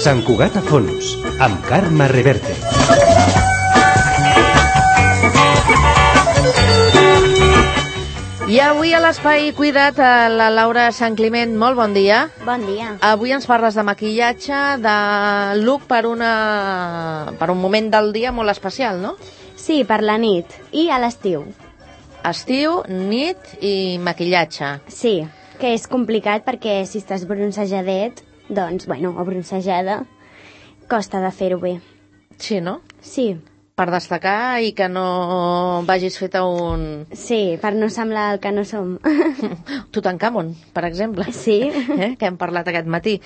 Sant Cugat a fons, amb Carme Reverte. I avui a l'Espai Cuidat, la Laura Sant Climent, molt bon dia. Bon dia. Avui ens parles de maquillatge, de look per un moment del dia molt especial, no? Sí, per la nit i a l'estiu. Estiu, nit i maquillatge. Sí, que és complicat perquè si estàs broncejadet, doncs, bueno, o bronzejada, costa de fer-ho bé. Sí, no? Sí. Per destacar i que no vagis fet a un... Sí, per no semblar el que no som. Tutankamon, per exemple. Sí. Que hem parlat aquest matí.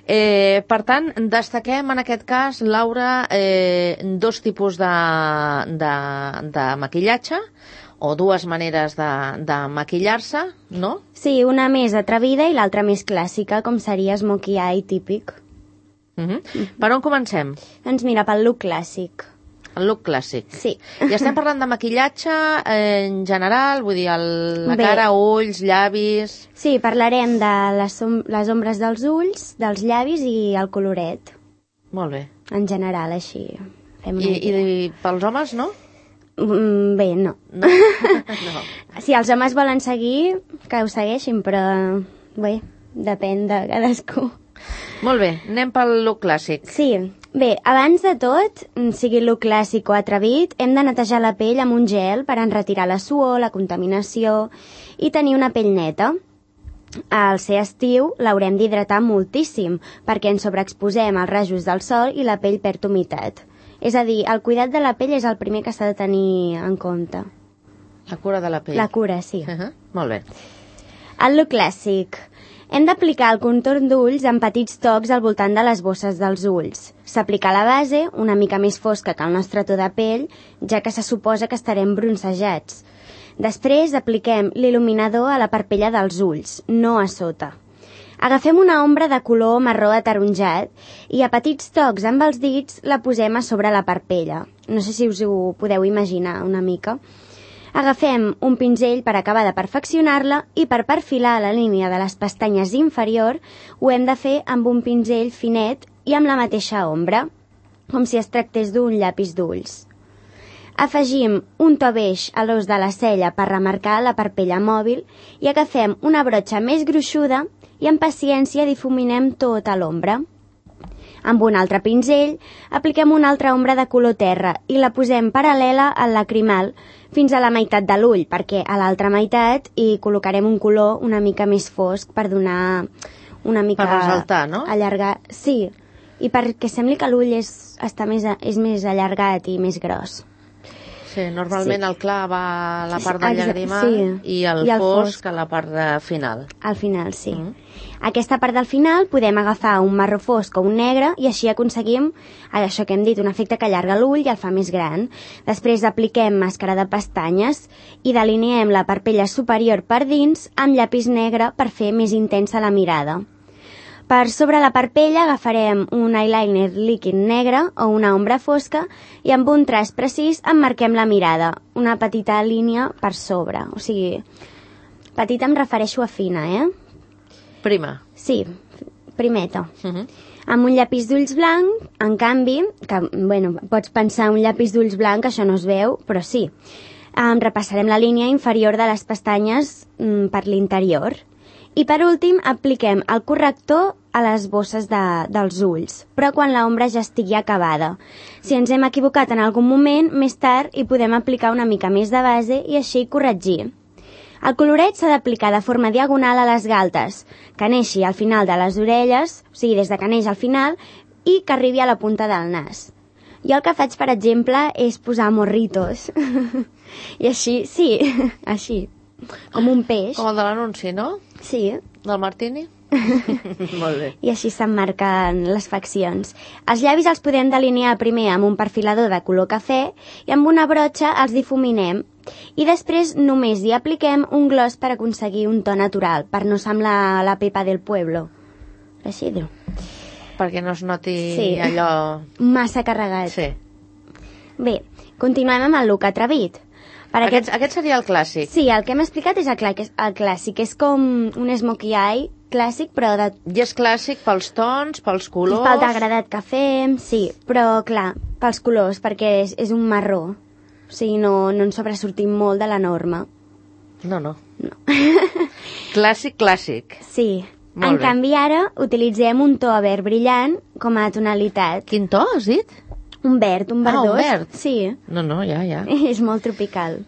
Per tant, destaquem en aquest cas, Laura, dos tipus de maquillatge, o dues maneres de maquillar-se, no? Sí, una més atrevida i l'altra més clàssica, com seria smokey eye típic. Per on comencem? Doncs mira, pel look clàssic. El look clàssic. Sí. I estem parlant de maquillatge en general, vull dir, la cara, ulls, llavis... Sí, parlarem de les ombres dels ulls, dels llavis i el coloret. Molt bé. En general, així. I pels homes, no? Bé, no. No? Si els homes volen seguir, que ho segueixin, però bé, depèn de cadascú. Molt bé, anem pel look clàssic. Sí. Bé, abans de tot, sigui look clàssic o atrevit, hem de netejar la pell amb un gel per enretirar la suor, la contaminació i tenir una pell neta. Al ser estiu l'haurem d'hidratar moltíssim perquè ens sobreexposem als rajos del sol i la pell perd humitat. És a dir, el cuidat de la pell és el primer que s'ha de tenir en compte. La cura de la pell. La cura, sí. Molt bé. El look clàssic. Hem d'aplicar el contorn d'ulls en petits tocs al voltant de les bosses dels ulls. S'aplica la base, una mica més fosca que el nostre to de pell, ja que se suposa que estarem bronzejats. Després apliquem l'il·luminador a la parpella dels ulls, no a sota. Agafem una ombra de color marró ataronjat i a petits tocs amb els dits la posem a sobre la parpella. No sé si us ho podeu imaginar una mica. Agafem un pinzell per acabar de perfeccionar-la i per perfilar la línia de les pestanyes inferior ho hem de fer amb un pinzell finet i amb la mateixa ombra, com si es tractés d'un llapis d'ulls. Afegim un to beix a l'os de la cella per remarcar la parpella mòbil i agafem una brotxa més gruixuda i amb paciència difuminem tota l'ombra. Amb un altre pinzell apliquem una altra ombra de color terra i la posem paral·lela al lacrimal fins a la meitat de l'ull, perquè a l'altra meitat hi col·locarem un color una mica més fosc per donar una mica... Per ressaltar, no? Allargar, sí, i perquè sembli que l'ull és més allargat i més gros. Sí, normalment el clar va a la part del llagrimal i el fosc a la part final. Al final, sí. Aquesta part del final podem agafar un marró fosc o un negre i així aconseguim això que hem dit, un efecte que allarga l'ull i el fa més gran. Després apliquem màscara de pestanyes i deliniem la parpella superior per dins amb llapis negre per fer més intensa la mirada. Per sobre la parpella agafarem un eyeliner líquid negre o una ombra fosca i amb un traç precís emmarquem la mirada, una petita línia per sobre. O sigui, petita em refereixo a fina, Prima. Sí, primeta. Amb un llapis d'ulls blanc, en canvi, que, bueno, pots pensar un llapis d'ulls blanc, això no es veu, però sí. Repassarem la línia inferior de les pestanyes per l'interior. I per últim apliquem el corrector a les bosses dels ulls, però quan l'ombra ja estigui acabada. Si ens hem equivocat en algun moment, més tard hi podem aplicar una mica més de base i així corregir. El coloret s'ha d'aplicar de forma diagonal a les galtes, que neixi al final de les orelles, o sigui, des de que neix al final, i que arribi a la punta del nas. Jo el que faig, per exemple, és posar morritos. I així, sí, així. Com un peix. Com el de l'anunci, no? Sí. Del Martini? Molt bé. I així s'emmarquen les faccions. Els llavis els podem delinear primer amb un perfilador de color cafè i amb una brotxa els difuminem. I després només hi apliquem un gloss per aconseguir un to natural, per no semblar la Pepa del Pueblo. Així diu. Perquè no es noti allò... Massa carregat. Sí. Bé, continuem amb el look atrevit. Aquest seria el clàssic. Sí, el que hem explicat és el clàssic. És com un smokey eye clàssic, però I és clàssic pels tons, pels colors... pel degradat que fem, sí, però clar, pels colors, perquè és un marró. O sigui, no ens sobresortim molt de la norma. No. Clàssic. Sí. Molt En bé. canvi, ara utilitzem un to verd brillant com a tonalitat. Quin to has dit? Un verd, un verdós. un verd. Sí. No, ja. És molt tropical.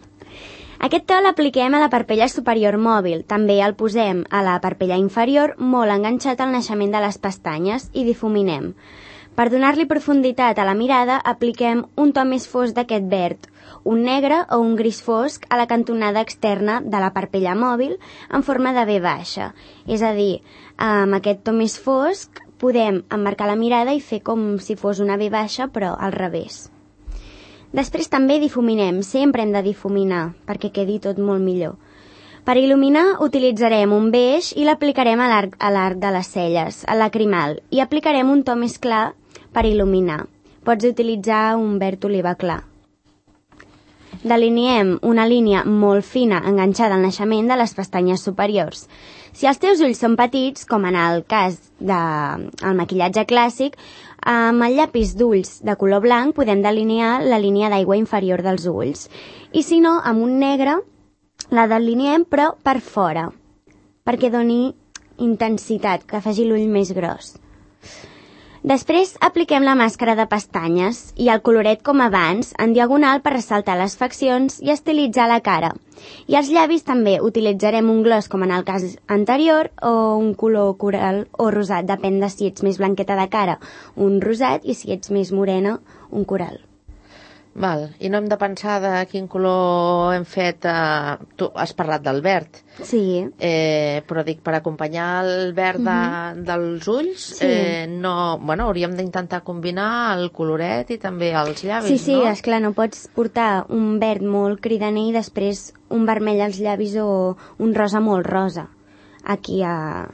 Aquest to l'apliquem a la parpella superior mòbil. També el posem a la parpella inferior, molt enganxat al naixement de les pestanyes, i difuminem. Per donar-li profunditat a la mirada, apliquem un to més fosc d'aquest verd, un negre o un gris fosc a la cantonada externa de la parpella mòbil en forma de V baixa. És a dir, amb aquest to més fosc podem emmarcar la mirada i fer com si fos una V baixa, però al revés. Després també difuminem, sempre hem de difuminar, perquè quedi tot molt millor. Per il·luminar utilitzarem un beix i l'aplicarem a l'arc de les celles, a lacrimal, i aplicarem un to més clar per il·luminar. Pots utilitzar un verd oliva clar. Deliniem una línia molt fina enganxada al naixement de les pestanyes superiors. Si els teus ulls són petits, com en el cas del maquillatge clàssic, amb el llapis d'ulls de color blanc podem delinear la línia d'aigua inferior dels ulls. I si no, amb un negre la deliniem però per fora, perquè doni intensitat, que faci l'ull més gros. Després apliquem la màscara de pestanyes i el coloret com abans, en diagonal per ressaltar les faccions i estilitzar la cara. I als llavis també utilitzarem un gloss com en el cas anterior o un color coral o rosat, depèn de si ets més blanqueta de cara, un rosat, i si ets més morena, un coral. Val. I no hem de pensar de quin color hem fet... Tu has parlat del verd. Sí. Però dic, per acompanyar el verd dels ulls, Sí. Hauríem d'intentar combinar el coloret i també els llavis, Sí, no? esclar, no pots portar un verd molt cridaner i després un vermell als llavis o un rosa molt rosa aquí a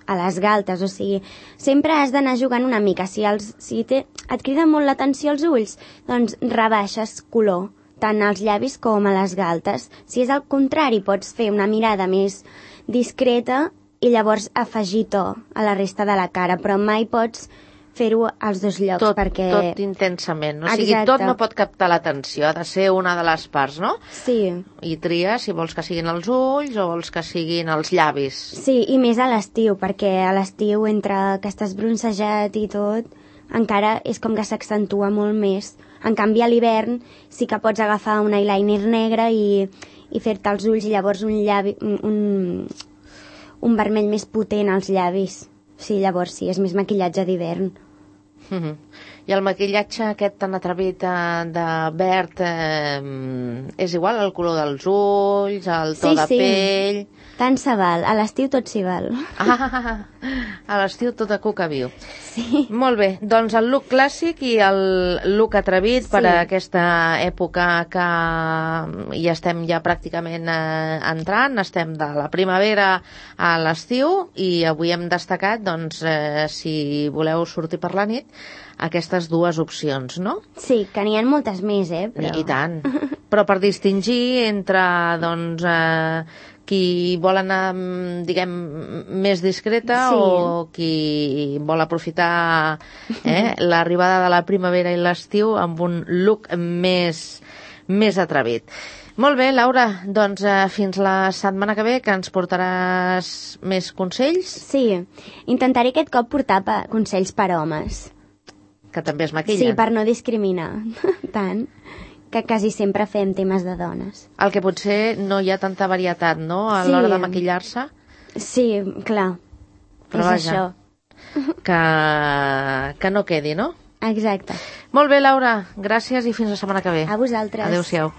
les galtes, o sigui, sempre has d'anar jugant una mica. Si et criden molt l'atenció els ulls, doncs rebaixes color, tant als llavis com a les galtes. Si és al contrari, pots fer una mirada més discreta i llavors afegir to a la resta de la cara, però mai pots fer-ho als dos llocs, perquè... Tot intensament, no? O sigui, Exacte. tot no pot captar l'atenció, ha de ser una de les parts, no? Sí. I tria si vols que siguin els ulls o vols que siguin els llavis. Sí, i més a l'estiu, perquè a l'estiu, entre que estàs bronzejat i tot, encara és com que s'accentua molt més. En canvi, a l'hivern sí que pots agafar un eyeliner negre i fer-te els ulls, i llavors un vermell més potent als llavis. Sí, llavors sí, és més maquillatge d'hivern. I el maquillatge aquest tan atrevit de verd és igual al color dels ulls, al to de pell... Tant se val, a l'estiu tot s'hi val. A l'estiu tot a cuca viu. Sí. Molt bé, doncs el look clàssic i el look atrevit per a aquesta època que hi estem ja pràcticament entrant, estem de la primavera a l'estiu, i avui hem destacat, doncs, si voleu sortir per la nit, aquestes dues opcions, no? Sí, que n'hi ha moltes més, però... I tant. Però per distingir entre, doncs, qui vol anar, diguem, més discreta, Sí. o qui vol aprofitar l'arribada de la primavera i l'estiu amb un look més atrevit. Molt bé, Laura, doncs fins la setmana que ve, que ens portaràs més consells. Sí, intentaré aquest cop portar consells per homes. Que també es maquillen. Sí, per no discriminar tant, que quasi sempre fem temes de dones. El que potser no hi ha tanta varietat, no?, a Sí. l'hora de maquillar-se. Sí, clar, Però és vaja. això. Que no quedi, no? Exacte. Molt bé, Laura, gràcies i fins la setmana que ve. A vosaltres. Adéu-siau.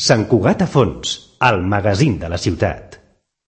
Sant Cugat a fons, el magazín de la ciutat.